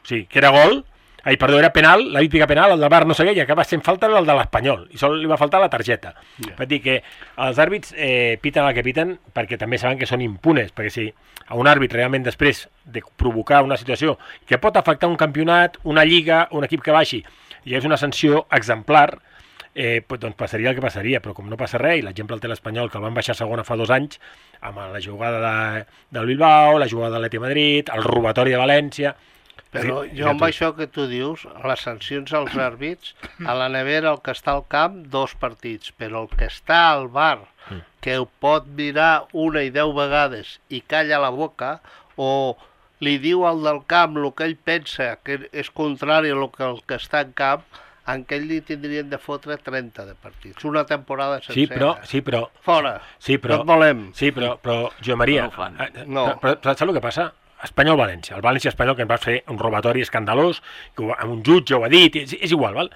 Sí, que era gol, era penal, la pica penal, el del Bar no seguia, i acaba sent falta el de l'Espanyol, i sol li va faltar la targeta. Per dir que els àrbits piten el que piten perquè també saben que són impunes, perquè si a un àrbit realment després de provocar una situació que pot afectar un campionat, una lliga, un equip que baixi, i és una sanció exemplar, doncs passaria el que passaria, però com no passa res, i l'exemple el té l'Espanyol, que el van baixar a segona fa 2 anys, amb la jugada del Bilbao, la jugada de l'Atlètic Madrid, el robatori de València... Però jo amb això que tu dius, les sancions als àrbits, a la nevera el que està al camp, 2 partits, però el que està al bar, que ho pot mirar 1 i 10 vegades i calla la boca, o li diu al del camp el que ell pensa que és contrari al que està en camp, en què li tindrien de fotre 30 de partits, una temporada sencera. Sí, però... Fora, no et volem. Sí, però Joan Maria, però saps el que passa? Espanyol-València, el València-Espanyol que ens va fer un robatori escandalós, que un jutge ho ha dit, és igual, val?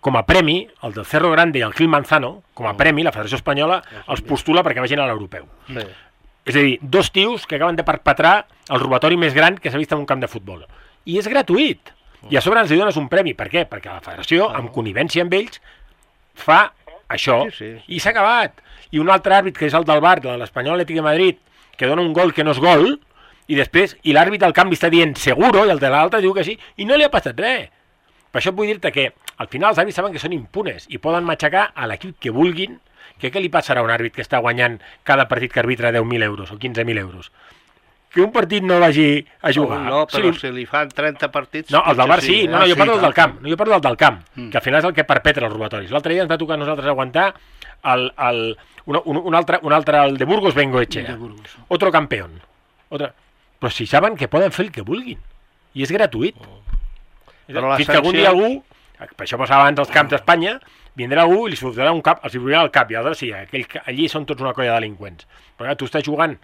com a premi, el del Cerro Grande i el Quil Manzano, com a premi, la Federació Espanyola els postula perquè vagin a l'europeu. Sí. És a dir, 2 tios que acaben de perpetrar el robatori més gran que s'ha vist en un camp de futbol. I és gratuït. I a sobre ens li dones un premi. Per què? Perquè la federació, amb connivència amb ells, fa això. I s'ha acabat. I un altre àrbit, que és el del Bar, de l'Espanyol Atlètic de Madrid, que dona un gol que no és gol, i després, i l'àrbit al canvi està dient seguro, i el de l'altre diu que sí, i no li ha passat res. Per això vull dir-te que al final els àrbits saben que són impunes i poden matxacar a l'equip que vulguin, que què li passarà a un àrbit que està guanyant cada partit que arbitra 10.000 euros o 15.000 euros? Que un partit no vagi a jugar. No, però si li fan 30 partits... No, el del Bar sí, no, jo parlo del camp, no, jo parlo del camp, que al final és el que perpetra els robatoris. L'altre dia ens va tocar a nosaltres aguantar un altre, el de Burgos Bengoetxea, otro campeón. Però si saben que poden fer el que vulguin, i és gratuït. Fins que algun dia algú, per això passava abans als camps d'Espanya, vindrà algú i li sortirà un cap, els obrirà el cap, i aleshores sí, allí són tots una colla de delinqüents. Però tu estàs jugant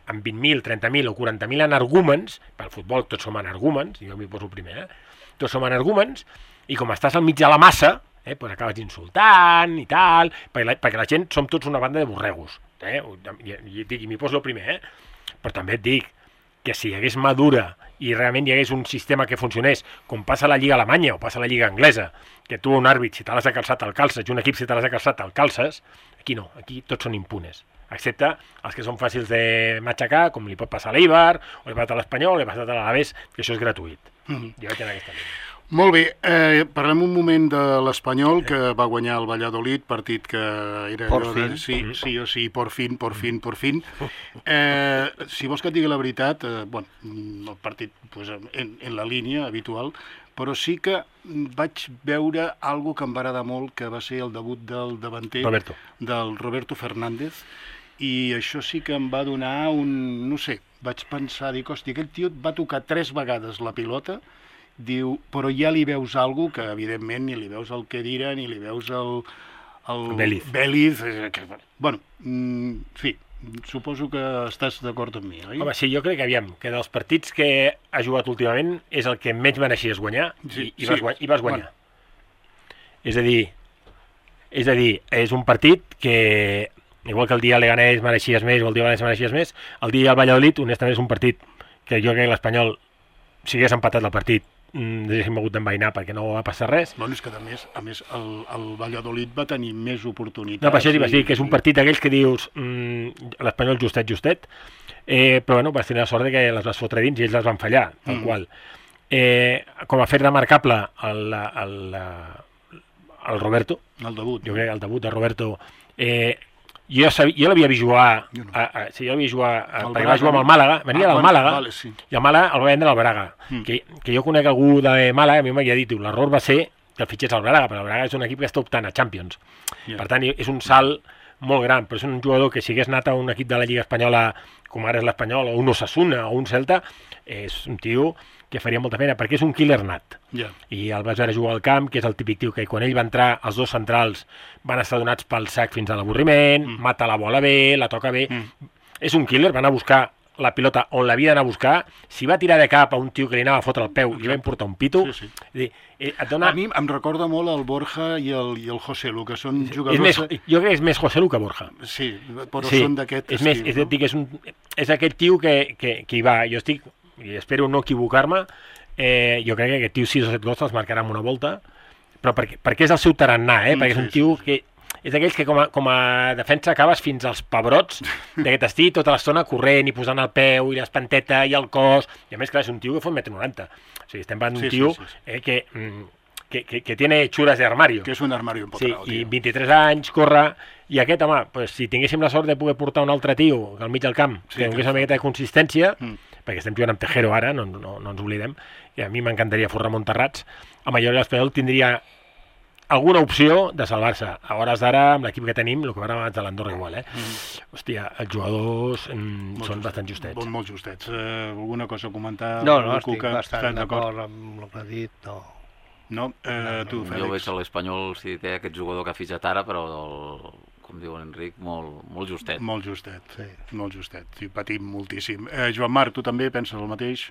amb 20.000, 30.000 o 40.000 energúmens, pel futbol tots som energúmens, jo m'hi poso primer, tots som energúmens, i com estàs al mig de la massa, doncs acabes insultant i tal, perquè la gent som tots una banda de borregos, i m'hi poso el primer, però també et dic que si hi hagués Madura i realment hi hagués un sistema que funcionés, com passa a la Lliga Alemanya o passa a la Lliga Anglesa, que tu un àrbit, si te l'has de calçat, el calces, i un equip, si te l'has de calçat, el calces, aquí no, aquí tots són impunes, excepte els que són fàcils de matxacar, com li pot passar a l'Eibar, o li pot passar a l'Espanyol, o li pot passar a l'Alavés, que això és gratuït. Jo vaig en aquesta línia. Molt bé, parlem un moment de l'Espanyol, que va guanyar el Valladolid, partit que era... Por fin. Sí o sí, por fin. Si vols que et digui la veritat, el partit en la línia habitual, però sí que vaig veure algo que em va agradar molt, que va ser el debut del davanter, del Roberto Fernández, i això sí que em va donar un... no sé, vaig pensar, dic, hòstia, aquell tio va tocar 3 vegades la pilota, diu, però ja li veus alguna que evidentment ni li veus el Kedira ni li veus el Vélez, bueno, en fi, suposo que estàs d'acord amb mi, oi? Home, sí, jo crec que que dels partits que ha jugat últimament és el que menys mereixies guanyar, i vas guanyar. És a dir, és un partit que, igual que el dia Leganés mereixies més o el dia València mereixies més, el dia del Valladolid, honestament, és un partit que jo crec que l'Espanyol, si hagués empatat el partit, haguéssim hagut d'envainar perquè no va passar res. Bueno, és que a més el Valladolid va tenir més oportunitats. No, per això t'hi que és un partit d'aquells que dius l'Espanyol justet, però bueno, vas tenir la sort que les vas fotre dins i ells les van fallar, tal qual. Com ha fet remarcable el Roberto, el debut, jo crec que el debut de Roberto, jo l'havia vist jugar perquè va jugar amb el Màlaga, venia del Màlaga, i el Màlaga el va vendre al Braga, que jo conec algú de Màlaga, a mi m'havia dit, l'error va ser que el fitxés al Braga, però el Braga és un equip que està optant a Champions, per tant és un salt molt gran, però és un jugador que si hagués anat a un equip de la Lliga Espanyola com ara és l'Espanyol, o un Osasuna o un Celta, és un tio que faria molta pena, perquè és un killer nat. I el vas veure jugar al camp, que és el típic tio que quan ell va entrar, els dos centrals van estar donats pel sac fins a l'avorriment, mata la bola bé, la toca bé. És un killer, va anar a buscar la pilota on l'havia d'anar a buscar, si va tirar de cap a un tio que li anava a fotre el peu i li va importar un pito. A mi em recorda molt el Borja i el José Lu, que són jugadors... Jo crec que és més José Lu que Borja. Sí, però són d'aquest estil. És aquest tio que hi va, jo estic, i espero no equivocar-me, jo crec que aquest tio 6 o 7 gols els marcarà en una volta, però perquè és el seu tarannà, perquè és un tio que és d'aquells que com a defensa acabes fins als pebrots d'aquest estil, tota l'estona corrent i posant el peu i l'espanteta i el cos, i a més, clar, és un tio que fot 1,90 m. O sigui, estem parlant d'un tio que tiene xuras de armario. Que és un armario empotrado, i 23 anys, corre, i aquest, home, pues, si tinguéssim la sort de poder portar un altre tio al mig del camp, que donés una miqueta de consistència, perquè estem jugant amb Tejero ara, no ens oblidem, i a mi m'encantaria for Ramon Terrats, a Mallorca l'Espanyol tindria alguna opció de salvar-se. A hores d'ara, amb l'equip que tenim, el que vam abans de l'Andorra igual, Hòstia, els jugadors són bastant justets. Molt justets. Alguna cosa a comentar? No, estic bastant d'acord amb el que ha dit, no. Tu, Fèlix? Jo veig l'Espanyol, si té aquest jugador que ha fitxat ara, però com diu Enric, molt justet. Molt justet, molt justet. Sí, patim moltíssim. Joan Marc, tu també penses el mateix?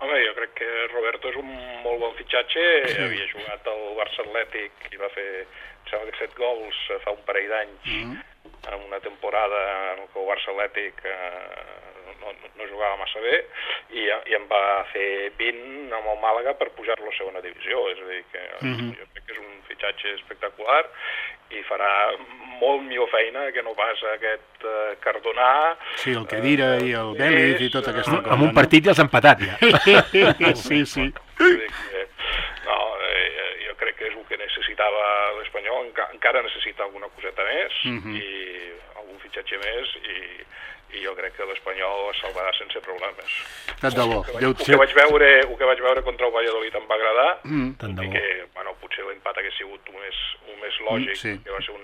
Home, jo crec que Roberto és un molt bon fitxatge, havia jugat al Barça Atlètic i va fer, em sembla que 7 gols fa un parell d'anys, en una temporada en què el Barça Atlètic no jugava massa bé, i em va fer 20 amb el Màlaga per pujar-lo a segona divisió, és a dir, que jo crec que és un fitxatge espectacular i farà molt millor feina que no pas aquest Cardonà. Sí, el Kedira i el Vélez i tota aquesta cosa. Amb un partit ja els ha empatat, ja. Sí. No, jo crec que és el que necessitava l'Espanyol, encara necessita alguna coseta més, i algun fitxatge més, i jo crec que l'Espanyol es salvarà sense problemes. Tant de bo. El que vaig veure contra el Valladolid em va agradar, Tant de bo. que potser l'empat hagués sigut un més lògic, sí. que va ser un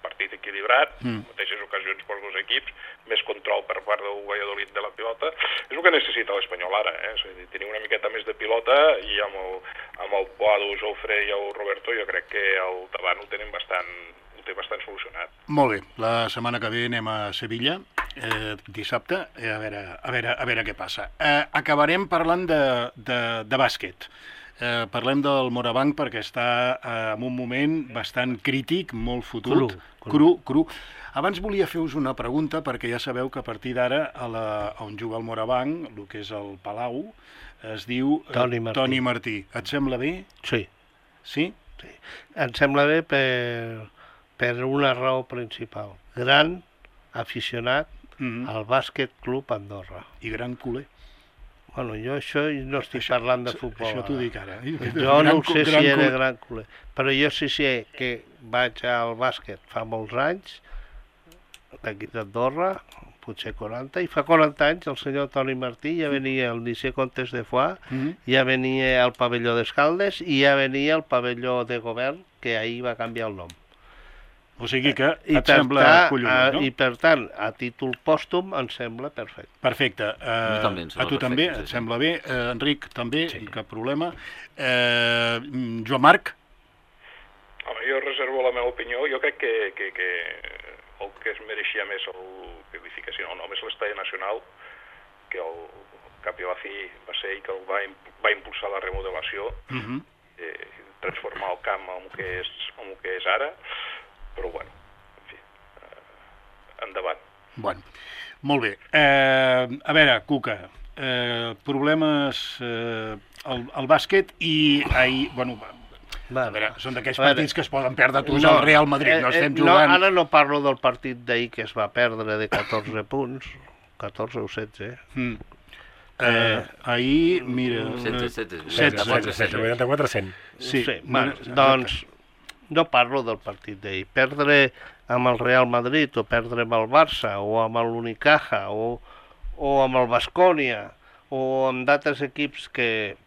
partit equilibrat, mateixes ocasions per dos equips, més control per part del Valladolid de la pilota. És el que necessita l'Espanyol ara, és a dir, tenir una miqueta més de pilota, i amb el Boado, Jofre i el Roberto jo crec que al davant ho té bastant solucionat. Molt bé, la setmana que ve anem a Sevilla, dissabte, a veure què passa. Acabarem parlant de bàsquet. Parlem del Morabanc perquè està en un moment bastant crític, molt fotut, cru. Abans volia fer-vos una pregunta, perquè ja sabeu que a partir d'ara on juga el Morabanc, el que és el Palau, es diu Toni Martí. Et sembla bé? Sí. Sí? Sí. Em sembla bé per una raó principal. Gran aficionat al Bàsquet Club Andorra. I gran culer. Bueno, jo això no estic parlant de futbol. Això t'ho dic ara. Jo no sé si era gran culer, però jo sí sé que vaig al bàsquet fa molts anys, d'aquí d'Andorra, potser 40, i fa 40 anys el senyor Toni Martí ja venia al Liceu Comtes de Foix, ja venia al pavelló d'Escaldes i ja venia al pavelló de govern, que ahir va canviar el nom. O sigui que et sembla collonut, no? I per tant, a títol pòstum, em sembla perfecte. Perfecte. A tu també et sembla bé. Enric, també, cap problema. Joan Marc? Home, jo reservo la meva opinió. Jo crec que el que es mereixia més l'edificació del nom és l'Estadi Nacional, que al cap i a la fi va ser ell que el va impulsar la remodelació, transformar el camp en el que és ara, però bueno, en fi, endavant. Bueno, molt bé. A veure, Cuca, problemes al bàsquet i ahir, bueno, a veure, són d'aquells partits que es poden perdre tots al Real Madrid, no estem jugant... Ara no parlo del partit d'ahir que es va perdre de 14 punts, 14 o 16. Ahir, mira... 84-100. Sí, doncs no parlo del partit d'ahir. Perdre amb el Real Madrid o perdre amb el Barça o amb l'Unicaja o amb el Baskonia o amb d'altres equips que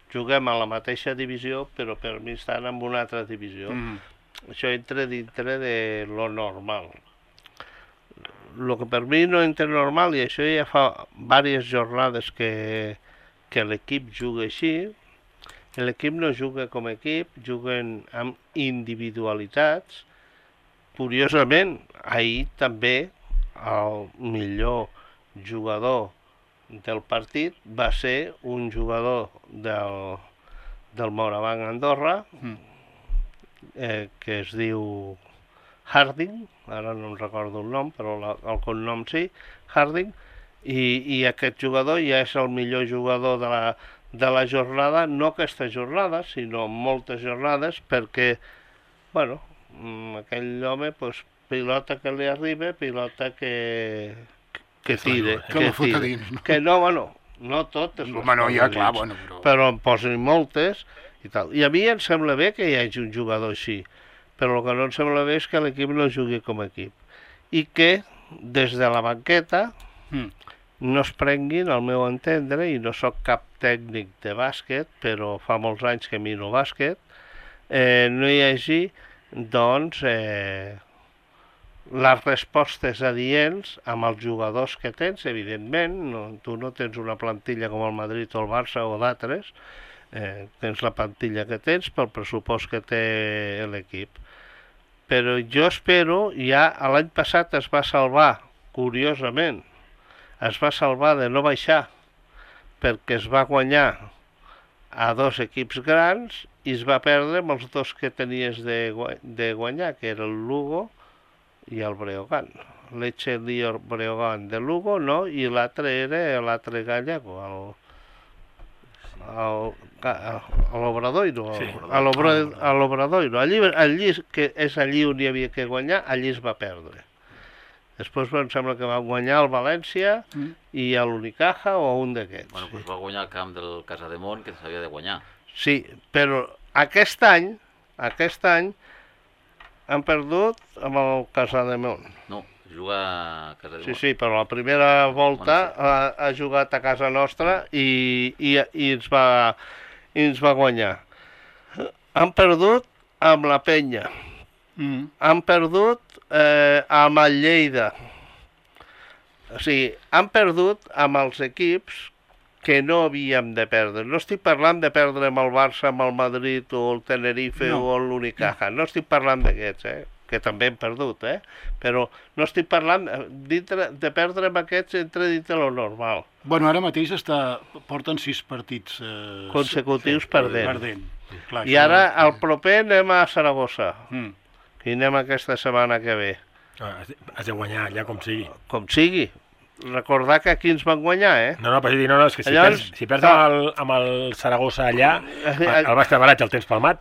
juguem a la mateixa divisió, però per mi estan en una altra divisió. Això entra dintre de lo normal. El que per mi no entra normal, i això ja fa diverses jornades que l'equip juga així, l'equip no juga com a equip, juguen amb individualitats. Curiosament, ahir també el millor jugador del partit va ser un jugador del Morabanc Andorra, que es diu Harding, ara no em recordo el nom, però el cognom sí, Harding, i aquest jugador ja és el millor jugador de la jornada, no aquesta jornada, sinó moltes jornades, perquè, bueno, aquell home, pues, pilota que li arriba, pilota que tire, que no, bueno, no totes, però en posen moltes i tal. I a mi em sembla bé que hi hagi un jugador així, però el que no em sembla bé és que l'equip no jugui com a equip i que des de la banqueta no es prenguin, al meu entendre, i no sóc cap tècnic de bàsquet, però fa molts anys que miro bàsquet, no hi hagi, doncs, les respostes adients amb els jugadors que tens, evidentment. Tu no tens una plantilla com el Madrid o el Barça o d'altres, tens la plantilla que tens pel pressupost que té l'equip. Però jo espero, ja l'any passat es va salvar, curiosament, es va salvar de no baixar, perquè es va guanyar a 2 equips grans i es va perdre amb els 2 que tenies de guanyar, que era el Lugo i el Breogán. Lecce Lior Breogán de Lugo, no? I l'altre era l'altre gallego, a l'Obradoiro, Sí. a l'Obradoiro. Allí, que és allí on hi havia que guanyar, allí es va perdre. Després em sembla que va guanyar el València i l'Unicaja o un d'aquests. Bueno, doncs va guanyar el camp del Casademont, que s'havia de guanyar. Sí, però aquest any han perdut amb el Casademont. No, juga a Casademont. Sí, però la primera volta ha jugat a casa nostra i ens va guanyar. Han perdut amb la Penya. Han perdut amb el Lleida. O sigui, han perdut amb els equips que no havíem de perdre. No estic parlant de perdre amb el Barça, amb el Madrid o el Tenerife o l'Unicaja. No estic parlant d'aquests, que també hem perdut, però no estic parlant de perdre amb aquests entre dintre lo normal. Bueno, ara mateix porten 6 partits consecutius perdent. Clar, I ara el proper anem a Saragossa. I anem aquesta setmana que ve. Has de guanyar allà com sigui. Com sigui. Recordar que aquí ens van guanyar, No, però és que si perds amb el Saragossa allà, el baix de baratge el tens palmat,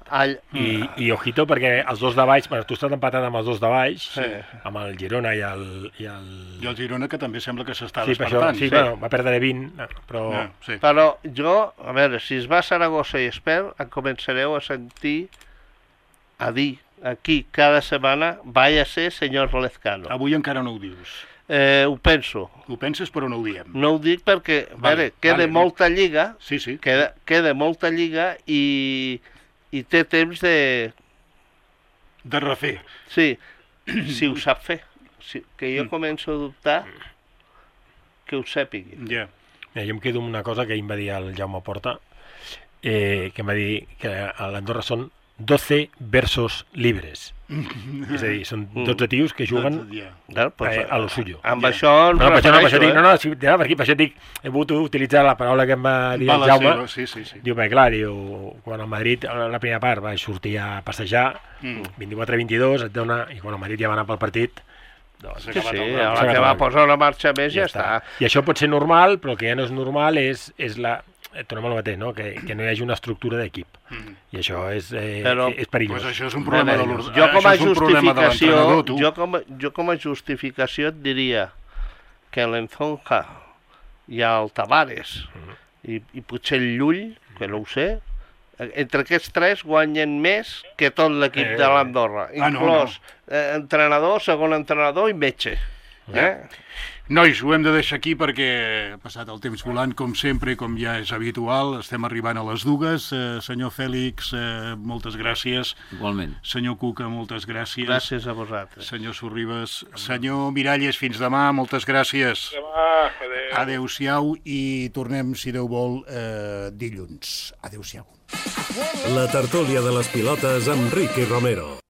i ojito, perquè els 2 de baix, tu estàs empatat amb els 2 de baix, amb el Girona i el... I el Girona, que també sembla que s'està despertant. Sí, bueno, va perdre 20, però... Però jo, a veure, si es va a Saragossa i es perd, em començareu a sentir, a dir, aquí, cada setmana, vaya ser senyor Lezcano. Avui encara no ho dius. Ho penso. Ho penses, però no ho diem. No ho dic perquè, queda molta lliga, queda molta lliga i té temps de refer. Sí, si ho sap fer. Que jo començo a dubtar que ho sàpiguin. Jo em quedo amb una cosa que em va dir el Jaume Porta, que em va dir que a l'Andorra són 12 versos libres. És a dir, són 12 tios que juguen a lo suyo. Amb això em refereixo, per això et dic, he volgut utilitzar la paraula que em va dir el Jaume. Diu, clar, quan el Madrid, la primera part, va sortir a passejar, 24-22, et dona, i quan el Madrid ja va anar pel partit, sí, ara que va posar una marxa més ja està. I això pot ser normal, però el que ja no és normal és la... tornem al mateix, no? Que no hi hagi una estructura d'equip. I això és perillós. Pues això és un problema de l'entrenador. Jo com a justificació et diria que l'Enzonja i el Tavares i potser el Llull, que no ho sé, entre aquests 3 guanyen més que tot l'equip de l'Andorra, inclòs entrenador, segon entrenador i metge. Nois, ho hem de deixar aquí perquè ha passat el temps volant, com sempre, com ja és habitual. Estem arribant a les 2. Senyor Fèlix, moltes gràcies. Igualment. Senyor Cuca, moltes gràcies. Gràcies a vosaltres. Senyor Sorribes. Senyor Miralles, fins demà, moltes gràcies. Demà, adéu. Adéu-siau i tornem, si Déu vol, dilluns. Adéu-siau. La tertúlia de les pilotes amb Ricky Romero.